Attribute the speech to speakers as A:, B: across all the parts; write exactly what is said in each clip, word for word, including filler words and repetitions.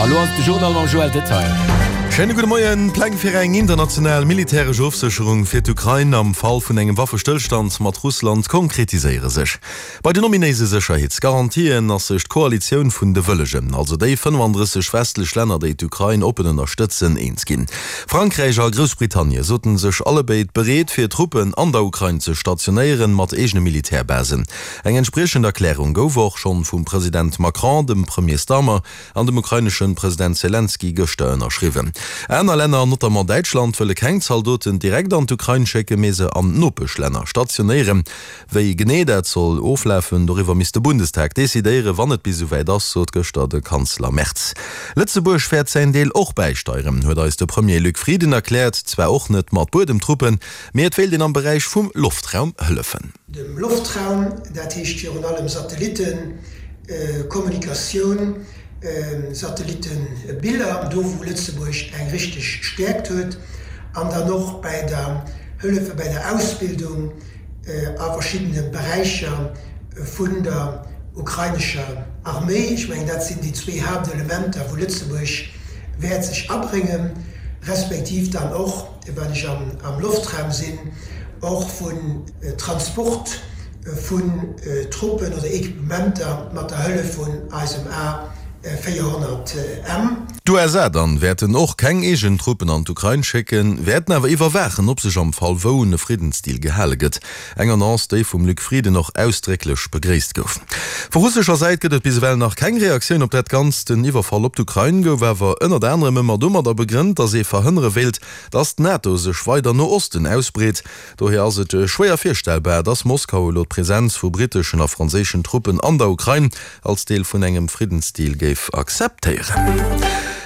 A: Elo ass et de Journal mam Joël Detail.
B: Schéine gudde Moien. D'Pläng fir eng international militäresch Ofsécherung fir d'Ukrain am Fall vun engem Waffestëllstand mat Russland konkretiséiere sech. Bei den ominéise Sécherheetsgarantien ass sech d'Koalitioun vun de Wëllegen, also déi fënnefandrësseg westlech Länner, déi d'Ukrain oppen ënnerstëtzen, eens ginn. Frankräich a Groussbritannie sote sech allebéid bereet, fir Truppen an der Ukrain ze stationéieren, mat eegene Militärbasen. Eng entspriechend Erklärung gouf och schonn vum President Macron, dem Premier Starmer an dem ukraineschen President Selenskyj gëschter ënnerschriwwen. Aner Länner, notamment Däitschland, wëlle keng Zaldoten direkt an d'Ukrain schécken, mee se an Nopeschlänner stationéieren. Wéi genee dat soll oflafen, doriwwer misst de Bundestag decidéieren, wann et bis esouwäit ass, sot gëschter de Kanzler Merz. Lëtzebuerg wäert säin Deel och bäisteieren, huet eis de Premier Luc Frieden erkläert. Zwar och net mat Buedemtruppen, mee et wéilt een am Beräich vum Loftraum hëllefen.
C: Dem Loftraum, dat heescht virun allem Satellittekommunikatioun, Satellittenbiller, do wou Lëtzebuerg eng richteg Stäerkt huet, an dann och bäi der Hëllefe bäi der Ausbildung a verschiddene Beräicher vun der ukrainescher Arméi. Ech mengen, dat sinn déi zwee Haaptelementer, wou Lëtzebuerg wäert sech abréngen, respektiv dann och, well ech am Loftraum sinn, och vun Transport vun Truppen oder Equipementer mat der Hëllef vun eisem A véierhonnert M.
B: D'USA dann wäerten och keng eegen Truppen an d'Ukrain schécken, wäerten awer iwwerwaachen, ob sech am Fall wou un e Friddensdeal gehale gëtt. Eng Annonce, déi vum Luc Frieden och ausdrécklech begréisst gouf. Vu russescher Säit gëtt et bis ewell nach keng Reaktioun op dat Ganzt. Den Iwwerfall op d'Ukrain gouf awer ënnert anerem ëmmer domadder begrënnt, datt ee verhënnere wéilt, datt d'NATO sech weider no Osten ausbreet. Dohier ass et schwéier virstellbar, datt Moskau elo d'Presenz vu britteschen a franséischen Truppen an der Ukrain als Deel vun engem Friddensdeal géif akzeptéieren.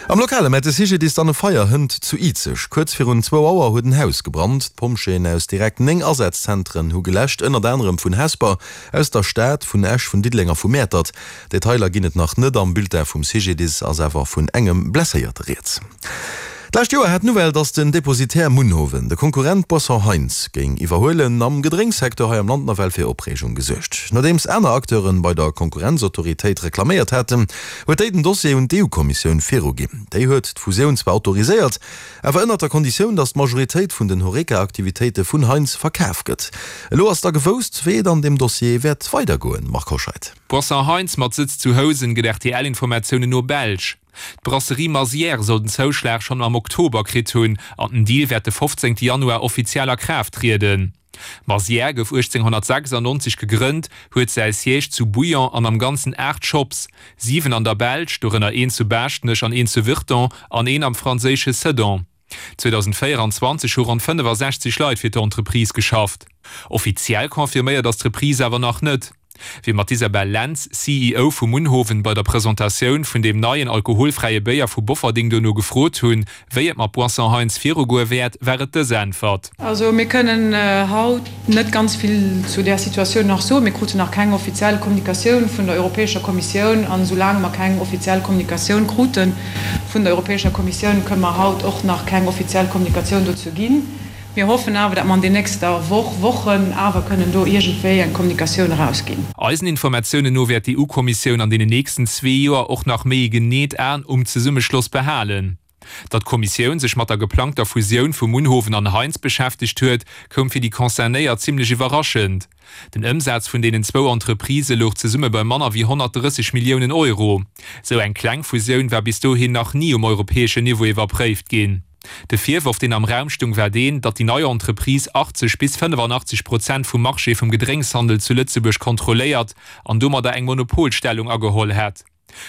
B: Am Lokale mellt de C G D I S dann e Feier hënt zu Izeg. Kuerz virun zwou Auer huet en Haus gebrannt. D'Pompjeeën aus direkt néng Asazzentren hu geläscht, ënnert anerem vun Hesper, aus der Stad, vun Esch, vun Diddeleng a vu Mäertert. Detailer ginn et nach net. Am Bulletin vum C G D I S ass awer vun engem Blesséierte rieds. D'lescht Joer hat d'Nouvelle, datt den Depositaire Munhowen de Konkurrent Boisson Heintz géing iwwerhuelen, am Gedrénkssecteur hei am Land nawell fir Opreegung gesuergt. Nodeems aner Acteure bei der Konkurrenzautoritéit reklaméiert haten, huet déi den Dossier un d'E U-Kommissioun viruginn. Déi huet d'Fusioun zwar autoriséiert, awer ënnert der Konditioun, datt d'Majoritéit vun den Horeca-Aktivitéite vun Heintz verkaf gëtt. Elo ass da gewousst, wéi et an deem Dossier wäert weidergoen, Marc Hoscheid.
D: Boisson Heintz mat Sëtz zu Housen gëtt R T L-Informatiounen no belsch. D'Brasserie Mazière soll den Zouschlag schonn am Oktober kritt hunn an den Deal wäert de fofzéngte Januar offiziell a Kraaft trieden. Mazière gouf uechtzénghonnertsechsannonzeg gegrënnt, huet säi Siège zu Bouillon an am Ganzen aacht Shops, siwen an der Belsch, dorënner een zu Baaschtnech an een zu Virton an een am franséische Sedan. zweedausendvéieranzwanzeg hu ronn fënnefasechzeg Leit fir d'Entreprise geschafft. Offiziell confirméiert ass d'Reprise awer nach net. Wéi mer d'Isabelle Lentz, C E O vu Munhowen, bei der Presentatioun vun deem neien alkoholfräie Béier vu Bofferding dono gefrot hunn, wéi et mat Boisson Heintz virugoe wäert, war et dës Äntwert.
E: Also mir kënnen haut net ganz vill zu där Situatioun nach soen. Mir kruten nach keng offiziell Kommunikatioun vun der Europäescher Kommissioun an esoulaang mer keng offiziell Kommunikatioun krute vun der Europäescher Kommissioun, kënne mer haut och nach keng offiziell Kommunikatioun dozou ginn. Mir hoffen awer, datt mer an den nächster Woch, Wochen awer kënnen do iergendwéi eng Kommunikatioun erausginn.
D: Eisen Informatiounen no wäert d'E U-Kommissioun an deenen nächsten zwee Joer och nach méi e geneet An um Zesummeschloss behalen. Datt d'Kommissioun sech mat der geplangter Fusioun vu Munhowen an Heintz beschäftegt huet, koum fir déi Concernéiert zimmlech iwwerraschend. Den Ëmsaz vun deenen zwou Entreprisë louch zesumme bei manner wéi honnertdrësseg Milliounen Euro. Sou eng kleng Fusioun war bis dohin nach ni um europäeschen Niveau iwwerpréift ginn. De Virworf, deen am Raum stung, war deen, datt déi nei Entreprise achtzeg bis fënnefanachteg Prozent vum Marché vum Gedrénkshandel zu Lëtzebuerg kontrolléiert an domadder eng Monopolstellung ageholl hätt.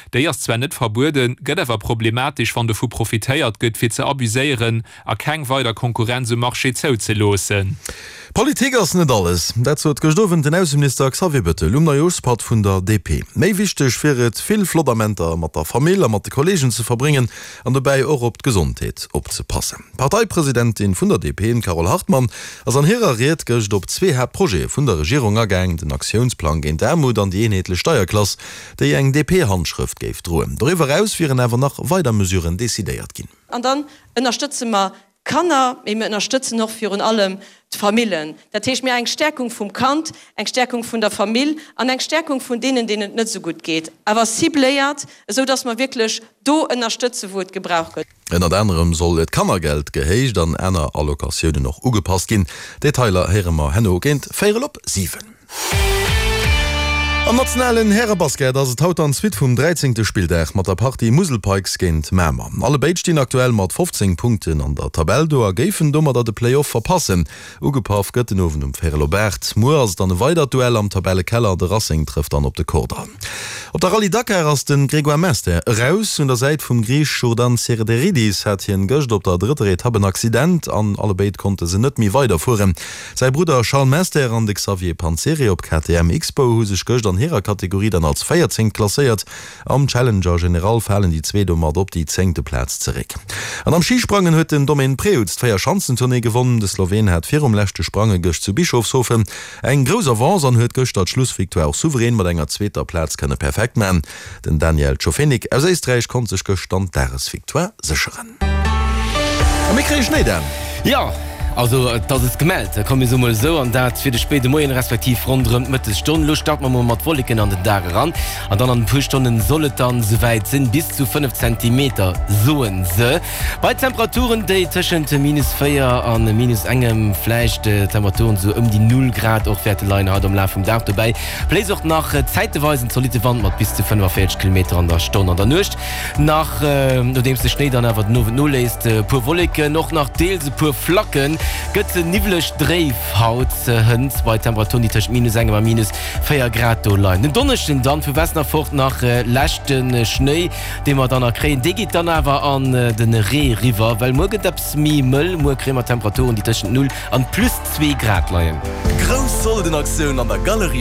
D: Déi ass zwar net verbueden, gëtt awer problematesch, wann dovu profitéiert gëtt, fir ze abuséieren a keng weider Konkurrenz um Marché zouzeloossen.
B: Politik ass net alles, dat sot gëscht Owend den Ausseminister Xavier Bettel um Neijooschpatt vun der D P. Méi wichteg wier et, vill flott Amenter mat der Famill a mat de Kolleegen ze verbréngen an dobäi och op d'Gesondheet opzepassen. D'Parteipresidentin vun der D P, d'Carole Hartmann, ass an hirer Ried gëscht op zwee Haaptprojete vun der Regierung agaang, den Aktiounsplang géint d'Aarmut an déi eenheetlech Steierklass, déi eng D P-Handschrëft géif droen. Doriwwer eraus wieren awer nach weider Mesuren decidéiert ginn.
F: An dann ënnerstëtze mer d'Kanner, mee mir ënnerstëtzen och virun allem d'Famillen. Dat heescht, mir eng Stärkung vum Kand, eng Stärkung vun der Famill an eng Stärkung vun deenen, deenen et net esou gutt geet, awer cibléiert, esou dass mer wierklech do ënnerstëtzen, wou et gebraucht gëtt.
B: Ënnert anerem soll d'Kannergeld gehéicht an aner Allocatiounen och ugepasst ginn. Detailer héiere mer herno géint véierel op siwen. Am nationalen Härebasket ass et haut dann d'Suite vum dräizéngte Spilldag mat der Partie Musel Pikes géint Mamer. Allebéid stinn aktuell mat fofzéng Punkten an der Tabell do a géifen domadder de Play-Off verpassen. Ugepaff gëtt den Owend um véierel op aacht. Muer ass et dann e weidert Duell am Tabellekeller, de Racing trëfft dann op de Kordall. Op der Rallye Dakar ass de Grégoire Mester eraus. Un der Säit vum Griich Jourdan Serderidis hat hien gëscht op der drëtter Etapp en Accident an allebéid konnte se net méi weiderfueren. Säi Brudder Charles Mester an de Xavier Panseri op K T M X-Bow hu sech gëscht an hirer Kategorie dann als Véierzéngt klasséiert. Am Challenger General falen déi zwee domat op déi zéngte Plaz zeréck. An am Schisprangen huet den Domen Prevc d'Véierschanzentournée gewonnen. De Sloween hat virum leschte Sprange gëscht zu Bischofshofen eng grouss Avance an huet gëschter d'Schlussvictoire och souverän mat enger zweeter Plaz kënne perfekt man. Den Daniel Tschofenig aus Éisträich konnt sech gëscht dann d'Dagesvictoire sécheren. A mir kréie Schnéi, Dan.
A: Jo, also et ass et gemellt, komm mir soe mol esou, an dat fir de spéide Moien, respektiv ronderëm d'Mëttesstonn. Elo starte mer mol mat Wolleken an den Dag eran an dann an e puer Stonnen soll et dann esouwäit sinn, bis zu fënnef Zentimeter soe se. Bei Temperaturen, déi tëschent minus véier a minus engem, vläicht Temperaturen esou ëm déi null Grad och wäerte leien haut am Laf vum Dag. Dobäi bléist och nach zäiteweis en zolitte Wand mat bis zu fënnefavéierzeg Kilometer an der Stonn. An der Nuecht nach, nodeems de Schnéi dann awer den Owend noléisst, e puer Wolleken, och nach deels e puer Flacken, gëtt niwweleg dréif haut hënt bei Temperaturen, déi tëschent minus engem a minus véier Grad do leien. Den Donneschden dann vu Westen erfort nach leschte Schnéi, dee mer dann nach kréien. Dee geet dann awer an de Ree riwwer, well muer gëtt eppes méi mëll. Muer kréie mer Temperaturen, déi tëschent null an plus zwee Grad leien.
G: Grouss Soldenaktioun an der Galerie.